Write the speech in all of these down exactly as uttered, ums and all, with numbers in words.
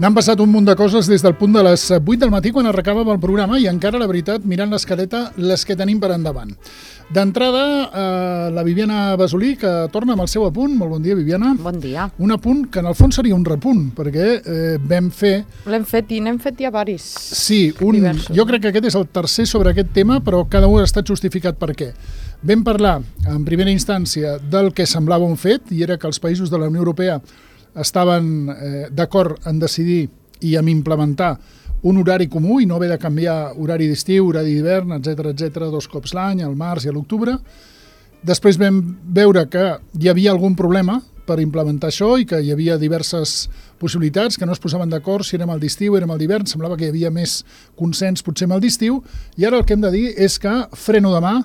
N'han passat un munt de coses des del punt de les vuit del matí quan arrencàvem el programa i encara, la veritat, mirant l'escaleta, les que tenim per endavant. D'entrada, eh, la Viviana Basolí, que torna amb el seu apunt. Molt bon dia, Viviana. Bon dia. Un apunt que en el fons seria un repunt, perquè eh, vam fer... L'hem fet i n'hem fet ja varis. Sí, un, diversos, jo crec que aquest és el tercer sobre aquest tema, però cada un ha estat justificat per què. Vam parlar, en primera instància, del que semblava un fet, i era que els països de la Unió Europea estaven eh, d'acord en decidir i en implementar un horari comú i no haver de canviar horari d'estiu, horari d'hivern, etcètera, etcètera, dos cops l'any, al març i a l'octubre. Després vam veure que hi havia algun problema per implementar això i que hi havia diverses possibilitats, que no es posaven d'acord si érem al d'estiu, érem al d'hivern, semblava que hi havia més consens potser amb el d'estiu, i ara el que hem de dir és que freno de mà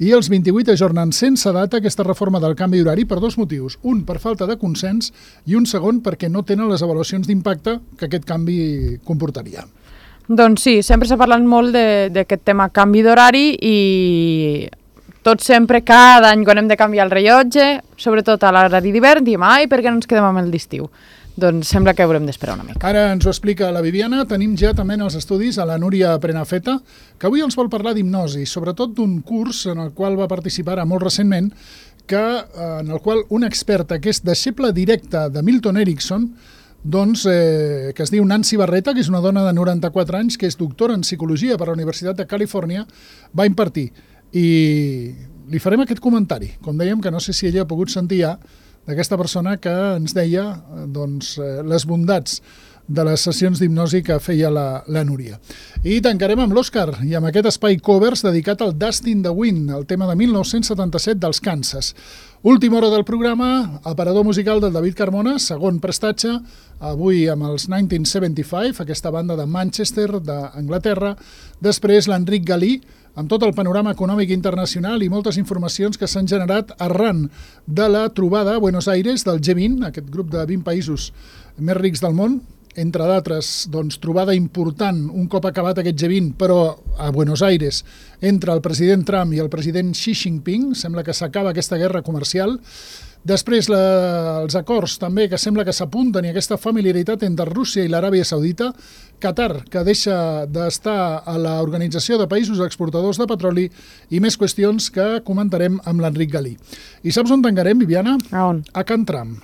i els vint-i-vuit ajornen sense data aquesta reforma del canvi d'horari per dos motius. Un, per falta de consens, i un segon, perquè no tenen les avaluacions d'impacte que aquest canvi comportaria. Doncs sí, sempre s'ha parlat molt d'aquest tema canvi d'horari i tot sempre, cada any, quan hem de canviar el rellotge, sobretot a l'horari d'hivern, diem, ai, per què no ens quedem amb el d'estiu? Doncs sembla que haurem d'esperar una mica. Ara ens ho explica la Viviana. Tenim ja també en els estudis a la Núria Prenafeta, que avui ens vol parlar d'hipnosi, sobretot d'un curs en el qual va participar molt recentment, que, en el qual un experta que és deixeble directe de Milton Erickson, doncs, eh, que es diu Nancy Barreta, que és una dona de noranta-quatre anys, que és doctora en psicologia per la Universitat de Califòrnia, va impartir. I li farem aquest comentari. Com dèiem, que no sé si ella ha pogut sentir ja, d'aquesta persona que ens deia doncs, les bondats de les sessions d'hipnosi que feia la, la Núria. I tancarem amb l'Òscar i amb aquest espai covers dedicat al Dust in the Wind, el tema de mil nou-cents setanta-set dels Kansas. Última hora del programa, aparador musical del David Carmona, segon prestatge, avui amb els mil nou-cents setanta-cinc, aquesta banda de Manchester, d'Anglaterra. Després l'Enric Galí, amb tot el panorama econòmic internacional i moltes informacions que s'han generat arran de la trobada a Buenos Aires del G vint, aquest grup de vint països més rics del món, entre d'altres, doncs, trobada important un cop acabat aquest G vint, però a Buenos Aires, entre el president Trump i el president Xi Jinping. Sembla que s'acaba aquesta guerra comercial. Després, la, els acords també que sembla que s'apunten i aquesta familiaritat entre Rússia i l'Aràbia Saudita, Qatar, que deixa d'estar a l'Organització de Països Exportadors de Petroli, i més qüestions que comentarem amb l'Enric Galí. I saps on tancarem, Viviana? A on? A Can Tram.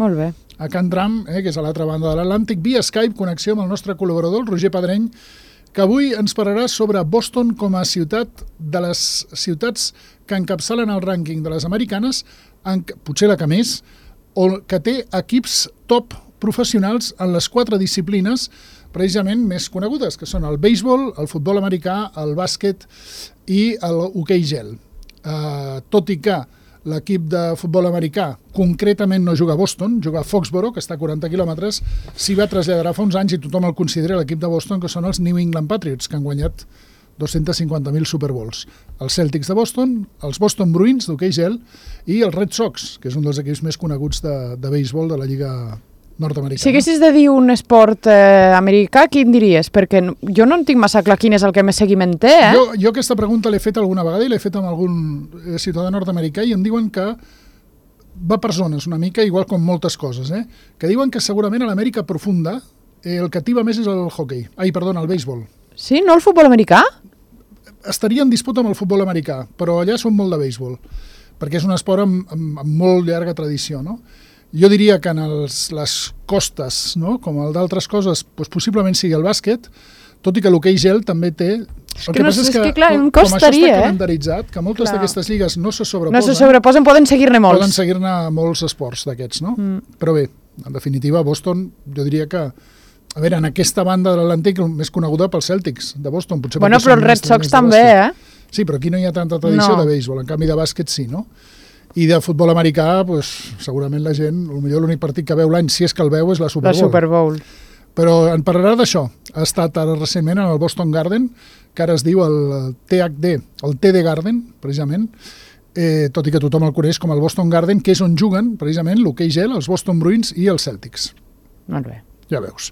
Molt bé. A Can Tram, eh, que és a l'altra banda de l'Atlàntic, via Skype, connexió amb el nostre col·laborador, el Roger Pedreny, que avui ens parlarà sobre Boston com a ciutat de les ciutats que encapçalen el rànquing de les americanes, en, potser la que més, o que té equips top professionals en les quatre disciplines precisament més conegudes, que són el béisbol, el futbol americà, el bàsquet i l'hoquei gel. Uh, tot i que l'equip de futbol americà concretament no juga a Boston, juga a Foxborough, que està a quaranta quilòmetres, s'hi va traslladar fa uns anys i tothom el considera l'equip de Boston, que són els New England Patriots, que han guanyat dos-cents cinquanta mil Super Bowls. Els Celtics de Boston, els Boston Bruins d'hoquei gel i els Red Sox, que és un dels equips més coneguts de, de béisbol de la Lliga nord-americana. Si haguessis de dir un esport eh, americà, quin diries? Perquè jo no en tinc massa clar quin és el que més seguiment té, eh? Jo, jo aquesta pregunta l'he fet alguna vegada i l'he fet amb algun ciutadà nord-americà i em diuen que va per zones una mica, igual com moltes coses, eh? Que diuen que segurament a l'Amèrica profunda eh, el que ativa més és el hoquei. Ai, perdona, el béisbol. Sí? No el futbol americà? Estaria en disputa amb el futbol americà, però allà són molt de béisbol, perquè és un esport amb, amb, amb molt llarga tradició, no? Jo diria que en els, les costes, no? Com el d'altres coses, doncs possiblement sigui el bàsquet, tot i que l'hoquei gel també té... És que, no, és que, clar, em costaria, com això està calendaritzat, que moltes d'aquestes lligues no se sobreposen... No se sobreposen, poden seguir-ne molts. Poden seguir-ne molts esports d'aquests, no? Mm. Però bé, en definitiva, Boston, jo diria que... A veure, en aquesta banda de l'Atlàntic, més coneguda pels Celtics de Boston. Potser bueno, però els Red Sox també, eh? Sí, però aquí no hi ha tanta tradició no. de béisbol, en canvi de bàsquet sí, no? I de futbol americà, pues, segurament la gent, potser l'únic partit que veu l'any, si és que el veu, és la Super Bowl. La Super Bowl. Però en parlarà d'això. Ha estat ara recentment en el Boston Garden, que ara es diu el T H D, el T D Garden, precisament, eh, tot i que tothom el coneix com el Boston Garden, que és on juguen, precisament, l'hoquei gel, els Boston Bruins i els Celtics. Molt bé. Ja veus.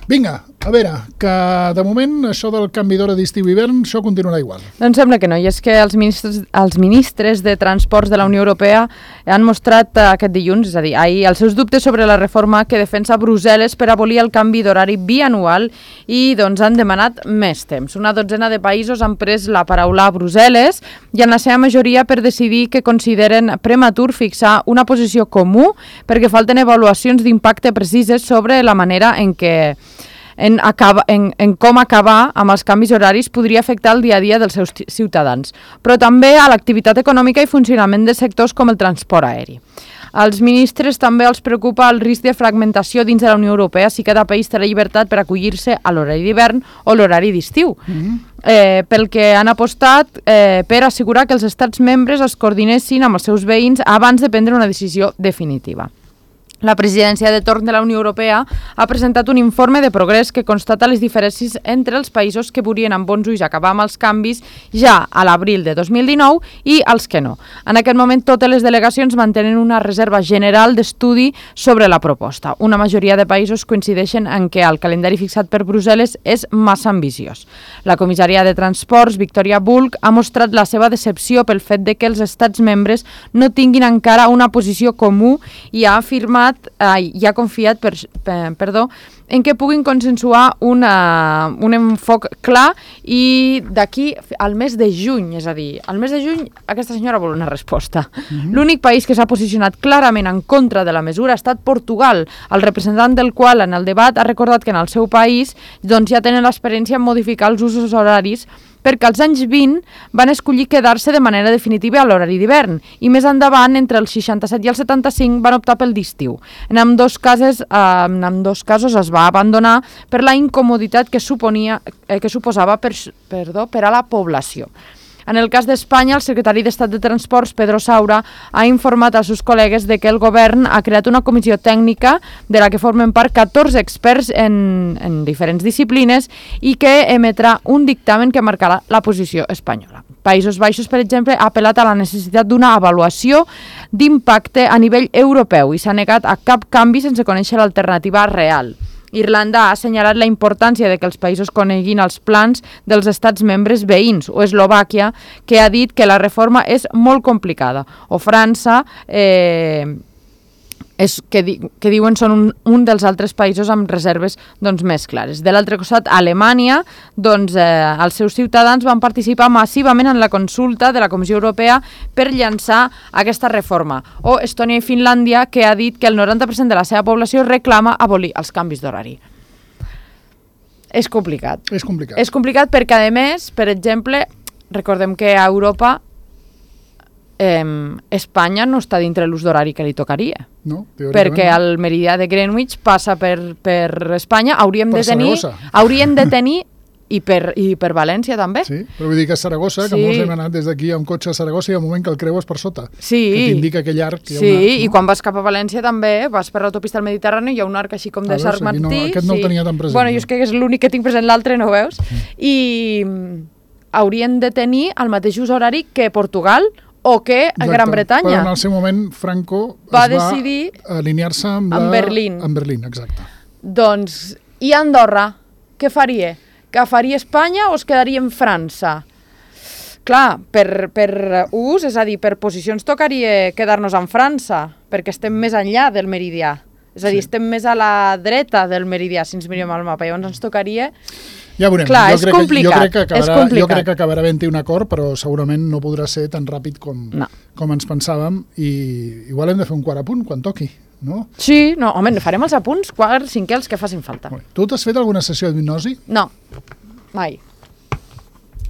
Vinga, a veure, que de moment això del canvi d'hora d'estiu-hivern, això continuarà igual. Doncs sembla que no, i és que els ministres, els ministres de Transports de la Unió Europea han mostrat aquest dilluns, és a dir, ahir, els seus dubtes sobre la reforma que defensa Brussel·les per abolir el canvi d'horari bianual i doncs han demanat més temps. Una dotzena de països han pres la paraula a Brussel·les i en la seva majoria per decidir que consideren prematur fixar una posició comú perquè falten avaluacions d'impacte precises sobre la manera en què En, acaba, en, en com acabar amb els canvis horaris podria afectar el dia a dia dels seus ciutadans, però també a l'activitat econòmica i funcionament de sectors com el transport aeri. Als ministres també els preocupa el risc de fragmentació dins de la Unió Europea si cada país té la llibertat per acollir-se a l'horari d'hivern o l'horari d'estiu. Mm-hmm. eh, pel que han apostat eh, per assegurar que els estats membres es coordinessin amb els seus veïns abans de prendre una decisió definitiva. La presidència de torn de la Unió Europea ha presentat un informe de progrés que constata les diferències entre els països que volien amb bons ulls acabar amb els canvis ja a l'abril de dos mil dinou i els que no. En aquest moment totes les delegacions mantenen una reserva general d'estudi sobre la proposta. Una majoria de països coincideixen en què el calendari fixat per Brussel·les és massa ambiciós. La comissària de Transports, Victoria Bulc, ha mostrat la seva decepció pel fet de que els estats membres no tinguin encara una posició comú i ha afirmat Ai, i ha confiat per, per, perdó, en què puguin consensuar una, un enfoc clar i d'aquí al mes de juny, és a dir, al mes de juny aquesta senyora vol una resposta. Mm-hmm. L'únic país que s'ha posicionat clarament en contra de la mesura ha estat Portugal, el representant del qual en el debat ha recordat que en el seu país doncs, ja tenen l'experiència en modificar els usos horaris perquè als anys vint van escollir quedar-se de manera definitiva a l'horari d'hivern i més endavant, entre els seixanta-set i el setanta-cinc, van optar pel d'estiu. En ambdós casos, eh, en ambdós casos es va abandonar per la incomoditat que, suponia, eh, que suposava per, perdó, per a la població. En el cas d'Espanya, el secretari d'Estat de Transports, Pedro Saura, ha informat als seus col·legues de que el govern ha creat una comissió tècnica de la que formen part catorze experts en, en diferents disciplines i que emetrà un dictamen que marcarà la posició espanyola. Països Baixos, per exemple, ha apel·lat a la necessitat d'una avaluació d'impacte a nivell europeu i s'ha negat a cap canvi sense conèixer l'alternativa real. Irlanda ha assenyalat la importància de que els països coneguin els plans dels estats membres veïns, o Eslovàquia, que ha dit que la reforma és molt complicada, o França, eh, és, que, di, que diuen són un, un dels altres països amb reserves doncs, més clares. De l'altre costat, Alemanya, doncs, eh, els seus ciutadans van participar massivament en la consulta de la Comissió Europea per llançar aquesta reforma. O Estònia i Finlàndia, que ha dit que el noranta per cent de la seva població reclama abolir els canvis d'horari. És complicat. És complicat. És complicat perquè, a més, per exemple, recordem que a Europa Eh, Espanya no està dintre l'ús d'horari que li tocaria. No, perquè el meridià de Greenwich passa per, per Espanya, hauríem per de tenir, Saragossa. hauríem de tenir i per, i per València també. Sí, però vull dir que a Saragossa, sí. que molts hem anat des d'aquí amb cotxe a Saragossa i hi ha un moment que el creues per sota, sí. que t'indica aquell arc. Sí, una, no? I quan vas cap a València també, vas per l'autopista al Mediterrani, hi ha un arc així com de veus, Sant Martí. No, aquest no sí. el tenia tan present. Bueno, jo és que és l'únic que tinc present, l'altre no veus. Mm. I haurien de tenir el mateix ús horari que Portugal o que a Exacte. Gran Bretanya. Però en el seu moment Franco va es va decidir alinear-se amb, amb la... Berlín. Amb Berlín, exacte. Doncs, i Andorra, què faria? Que faria Espanya o es quedaria en França? Clar, per, per ús, és a dir, per posicions tocaria quedar-nos en França, perquè estem més enllà del meridià. És a dir, sí. estem més a la dreta del meridià, si ens mirem al mapa. Llavors ens tocaria... Ja veurem. Clar, jo és crec complicat. Que, jo, crec que acabarà, és complicat. jo crec que acabarà havent-hi un acord, però segurament no podrà ser tan ràpid com, no. com ens pensàvem i igual hem de fer un quart apunt quan toqui, no? Sí, no, home, farem els apunts quart, cinquè, els que facin falta. Tu t'has fet alguna sessió d'hipnosi? No, mai.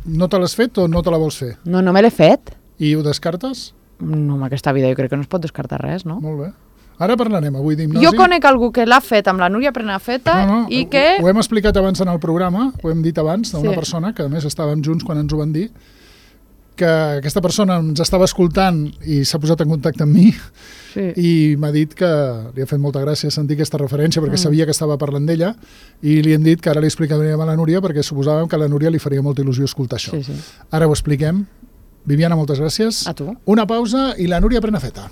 No te l'has fet o no te la vols fer? No, no me l'he fet. I ho descartes? No, en aquesta vida jo crec que no es pot descartar res, no? Molt bé. Ara parlarem avui d'hipnosi. Jo conec algú que l'ha fet amb la Núria Prenafeta no, no, i que... Ho hem explicat abans en el programa, ho hem dit abans, d'una sí. persona que a més estàvem junts quan ens ho van dir, que aquesta persona ens estava escoltant i s'ha posat en contacte amb mi sí. i m'ha dit que li ha fet molta gràcia sentir aquesta referència perquè mm. sabia que estava parlant d'ella i li hem dit que ara li explicaríem a la Núria perquè suposàvem que a la Núria li faria molta il·lusió escoltar això. Sí, sí. Ara ho expliquem. Viviana, moltes gràcies. A tu. Una pausa i la Núria Prenafeta.